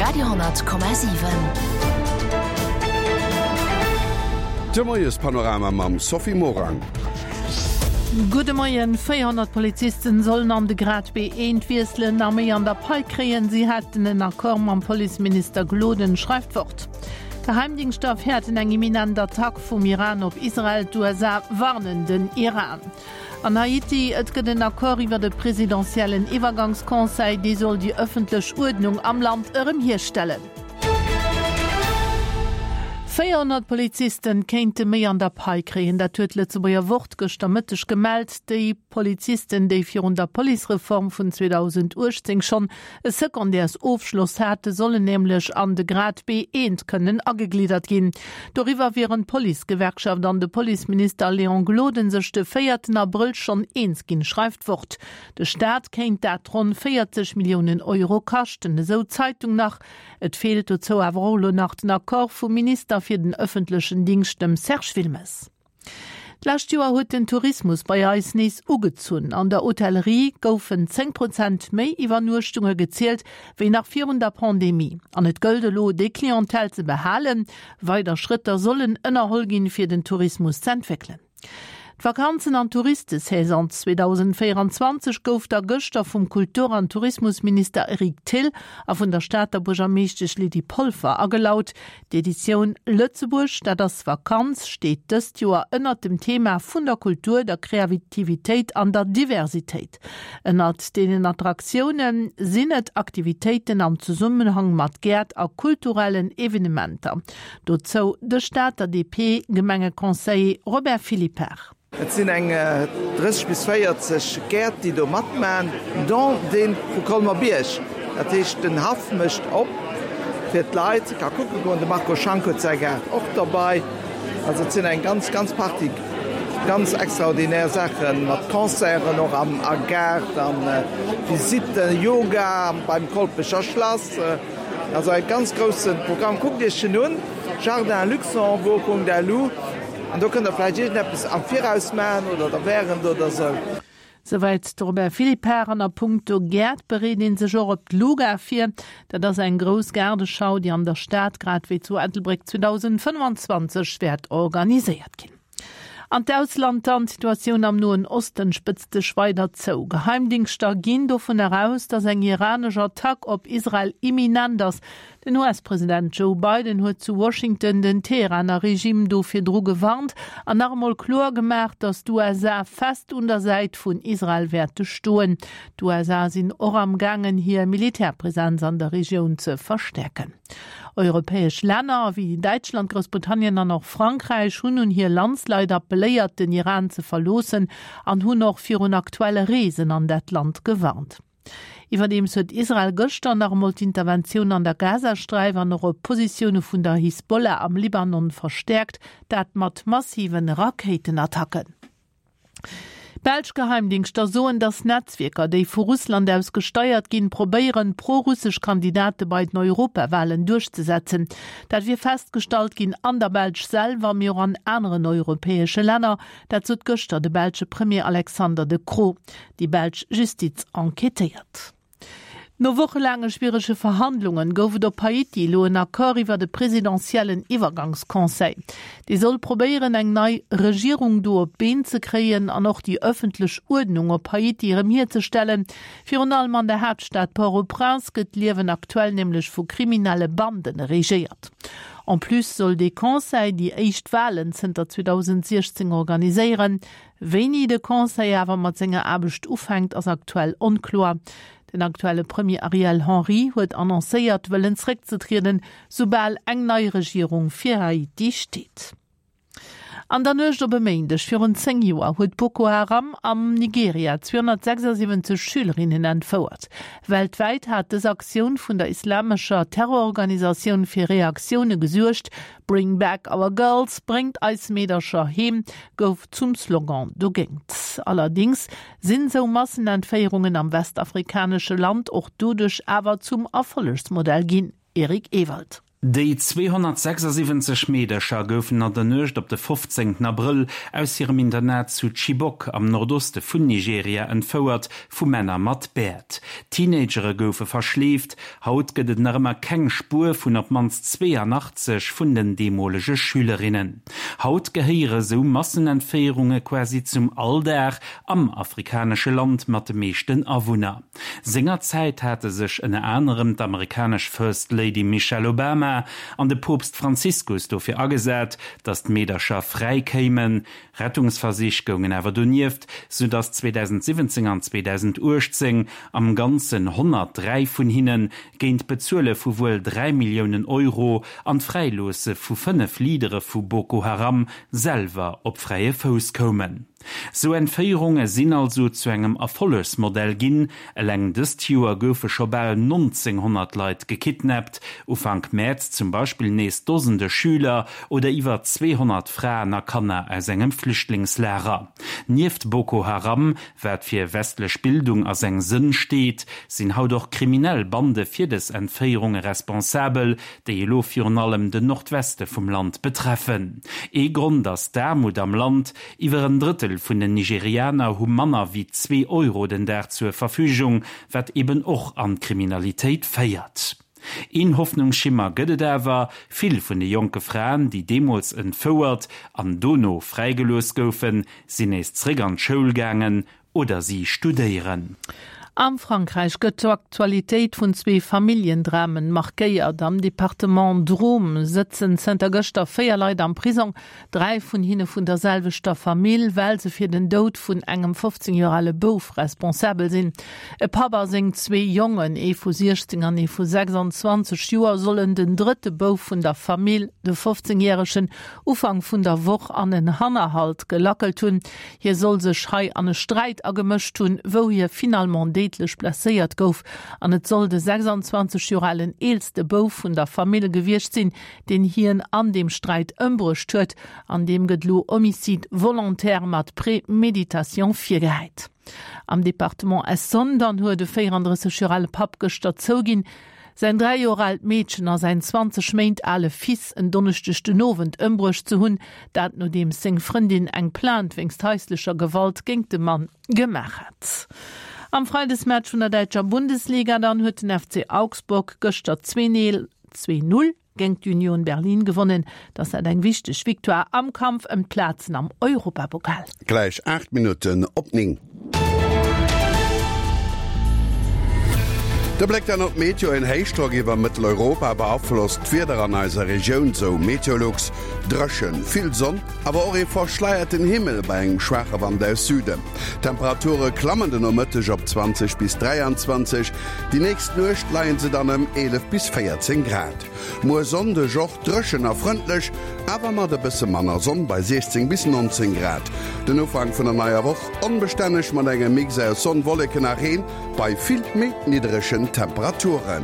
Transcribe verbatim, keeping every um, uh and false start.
Radio honnert Komma siwen. De Moiespanorama mam Sophie Morang. Gudde Moien, Véierhonnert Polizisten sollen an de Grad B eent wiesselen a méi an der Pai kréien. Si hätten en Accord mam Policeminister Gloden, schreift d'Wort. Geheimdingschter fäerten eng imminent Attack vum Iran op Israel, d'U S A warnen den Iran. An Haiti, et gëtt en Accord iwwer de presidentiellen Iwwergangsconseil, dee soll déi ëffentlech Uerdnung am Land erëm hierstellen. Véierhonnert Polizisten kéinte méi an der Pai kréien, dat huet d'Lëtzebuerger Wort gëschter Mëtteg gemellt. Déi Polizisten, déi virun der Policereform vun zweedausenduechtzéng schonn e Secondaires-Ofschloss hate, sollen nämlech an de Grad B eent kënnen agegliddert ginn. Doriwwer wieren d'Policegewerkschaft an de Policeminister Léon Gloden sech de véierten Abrëll schonn eens ginn, schreift d'Wort. De Staat kéint dat ronn véierzeg Milliounen Euro kaschten, esou d'Zeitung nach. Et feelt dozou awer och elo nach den Accord vum Minister fir den ëffentlechen Dingscht, dem Serge Wilmes. D'lescht Joer huet den Tourismus bei eis nees ugezunn. An der Hotellerie goufen zéng Prozent méi Iwwernuechtunge gezielt wéi nach virun der Pandemie. An et gëllt elo, déi Clientèle ze behalen. Weider Schrëtter sollen ënnerholl ginn, fir den Tourismus ze entwéckelen. D'Vakanzen an Touristesaison zweedausendvéieranzwanzeg gouf da gëschter vum Kultur- an Tourismusminister Eric Thill a vun der Stater Buergermeeschtesch Lydie Polfer agelaut. D'Editioun Lëtzebuerg, dat ass Vakanz, steet dëst Joer ënnert dem Thema vun der Kultur, der Kreativitéit an der Diversitéit. Ënnert deenen Attraktiounen sinn et Aktivitéiten am Zesummenhang mat Gäert a kulturellen Evenementer. Dozou de Stater D P-Gemengeconseiller Robert Philippart. Et sinn eng drësseg bis véierzeg Gäert, déi do matmachen, dont dee vu Colmer-Bierg. Dat heescht, den Haff mécht op fir d'Leit, ka kucke goen. De Marco Schank huet säi Gaart och derbäi. Also et sinn eng ganz, ganz Partie ganz extraordinär Saachen mat Concerten och am a Gaart an Visitten, Yoga beim Kolpecher Schlass. Also e ganz grousse Programm. Kuckt Iech en un, jardin luxembourg punkt L U. An do kënnt der vläicht iergendeppes am Viraus maachen oder da während oder sou. Souwäit de Robert Philippart. An a puncto Gäert bereet een sech och op d'Luga vir. Dat ass eng grouss Gaardeschau, déi an der Stad grad wéi zu Ettelbréck zweedausendfënnwanzwanzeg wäert organiséiert ginn. An d'Ausland dann, d'Situatioun am Noen Osten spëtzt sech weider zou. Geheimdingschter ginn dovun eraus, datt eng iranesch Attack op Israel imminent ass. Den U S-President Joe Biden huet zu Washington den Teheraner Regime dofir dru gewarnt an nach emol kloer gemaach, datt d'U S A fest un der Säit vun Israel wäerte stoen. D'U S A sinn och am gaangen, hir Militärpräsenz an der Regioun ze verstärken. Europäesch Länner wéi Däitschland, Groussbritannien an och Frankräich hunn un hir Landsleit appelléiert, den Iran ze verloossen an hunn och virun aktuelle Reesen an dat Land gewarnt. Iwwerdeems huet Israel gëschter nach emol d'Interventioun an der Gazasträif an och op Positioune vun der Hisbollah am Libanon verstärkt, dat mat massiven Rakéitenattacken. Belsch Geheimdingschter soen, dass Netzwerker, déi vu Russland aus gesteuert ginn, probéieren, pro-russesch Kandidate bei den Europawahlen durchzusetzen. Dat wier festgestallt ginn an der Belsch selwer, mee och an aneren europäesche Länner. Dat sot gëschter de belsche Premier Alexander De Croo. Déi belsch Justiz enquêtéiert. No wochenlange schwierige Verhandlungen gouf et op Haiti elo en Accord iwwer de presidentiellen Iwwergangsconseil. Dee soll probéieren, eng nei Regierung do op d'Been ze kréien an och déi ëffentlech Uerdnung op Haiti erëm hierzestellen. Virun allem an der Hauptstadt Port-au-Prince gëtt d'Liewen aktuell nämlech vu kriminelle Banden regéiert. En plus soll de Conseil déi éischt Wahlen zënter zweedausendsechzehn organiséieren. Wéini de Conseil awer mat senger Aarbecht ufänkt, ass aktuell onkloer. Den aktuelle Premier Ariel Henry huet annoncéiert, wëllen zréckzetrieden, soubal eng nei Regierung fir Haiti steet. An der Nuecht op e Méindeg virun zéng Joer huet Boko Haram am Nigeria zweehonnertsechsundsiebzig Schülerinnen entfouert. Weltwäit hat dës Aktioun vun der islamescher Terrororganisatioun fir Reaktioune gesuergt. Bring back our girls, bringt eis Meedercher heem, gouf zum Slogan dogéint. Allerdings sinn sou Massenentféierungen am westafrikanesche Land och doduerch awer zum Erfollegsmodell ginn. Erik Ewald. Déi zweehonnertsechsasiwwenzeg Meedercher goufen an der Nuecht op de fofzéngten Abrëll aus hirem Internat zu Chibok am Nordoste vun Nigeria entfouert vu Männer mat Bäert. Teenagere goufe verschleeft. Haut gëtt et nach ëmmer keng Spuer vun op d'mannst zweeanachtzeg vun den deemolege Schülerinnen. Haut gehéiere sou Massenentféierunge quasi zum Alldag am afrikanesche Land mat de meeschten Awunner. Sengerzäit hate sech ënner anerem d'amerikanesch First Lady Michelle Obama an de Poopst Franziskus dofir agesat, datt d'Meedercher fräi kéimen. Rettungsversich goungen awer donieft, sou datt zweedausendsiwwenzéng an zweedausenduechtzéng am Ganzen honnertdräi vun hinne géint d'Bezuele vu wuel dräi Milliounen Euro an d'Fräiloosse vu fënnef Leadere vu Boko Haram selwer op fräie Fouss koumen. Sou Entféierunge sinn also zu engem Erfollegsmodell ginn. Eleng dëst Joer goufe scho bal nonzénghonnert Leit gekidnappt, Ufank Mäerz zum Beispill nees Dosende Schüler oder iwwer zweehonnert Fraen a Kanner aus engem Flüchtlingslager. Nieft Boko Haram, wat fir westlech Bildung a seng Sënn steet, sinn haut och kriminell Bande fir dës Entféierunge responsabel, déi elo virun allem den Nordweste vum Land betreffen. Ee Grond ass d'Aarmut am Land, Iwwer en Drëttel vun den Nigerianer hu manner wéi zwee Euro den Dag zur Verfügung, wat eben och an d'Kriminalitéit féiert. Een Hoffnungsschimmer gëtt et awer, Vill vun de jonke Fraen, déi deemools entfouert an dono fräigelooss goufen, sinn nees zréck an d'Schoul gaangen oder si studéieren. Am Frankräich gëtt d'Aktualitéit vun zwee Familljendramen markéiert. Am Departement Drôme sëtzen zënter gëschter véier Leit am Prisong, dräi vun hinne vun der selwechter Famill, well se fir den Doud vun engem fofzéng Joer ale Bouf responsabel sinn. E Papp a seng zwee Jongen, ee vu siechzéng an ee vu sechsanzwanzeg Joer, sollen den drëtte Bouf vun der Famill, de fofzéngjäregen, Ufank vun der Woch an en Hannerhalt gelackelt hunn. Hie soll sech hei an e Sträit agemëscht hunn, wou hie finalement déidlech blesséiert gouf. An et soll de sechsanzwanzeg Joer alen eelste Bouf vun der Famill gewiescht sinn, deen hien an deem Sträit ëmbruecht huet. An deem gëtt elo Homicide volontaire mat Préméditation virgehäit. Am Departement Essonne dann huet e véierandrësseg Joer ale Papp gëschter zouginn, säin dräi Joer aalt Meedchen a säin zwanzeg Méint ale Fils en Donneschdeg den Owend ëmbruecht ze hunn. Dat nodeems seng Frëndin eng Plainte wéinst haislecher Gewalt géingt de Mann gemaach hat. Am Freidesmatch vun der däitscher Bundesliga dann huet den F C Augsburg gëschter zwee Null géingt d'Union Berlin gewonnen. Dass dat eng wichteg Victoire am Kampf ëm d'Plazen am Europapokal. Gläich aacht Minutten op néng. De Bléck dann op d'Meteo, En Héichdrock iwwer Mëtteleuropa beaflosst d'Wieder an eiser Regioun, sou Meteolux. Dréchen, vill Sonn, awer och ee verschleierten Himmel bei engem schwaache Wand aus Süden. D'Temperature klammen de Nomëtteg op zwanzeg bis dräianzwanzeg, déi nächst Nuecht leie se dann ëm eelef bis véierzéng Grad. Muer Sonndeg och dréchen a frëndlech, awer mat e bësse manner Sonn bei siechzéng bis nonzéng Grad. Den Ufank vun der neier Woch onbestänneg mat engem Mix aus Sonn, Wolleken a Reen bei vill méi nidderegen Temperaturen.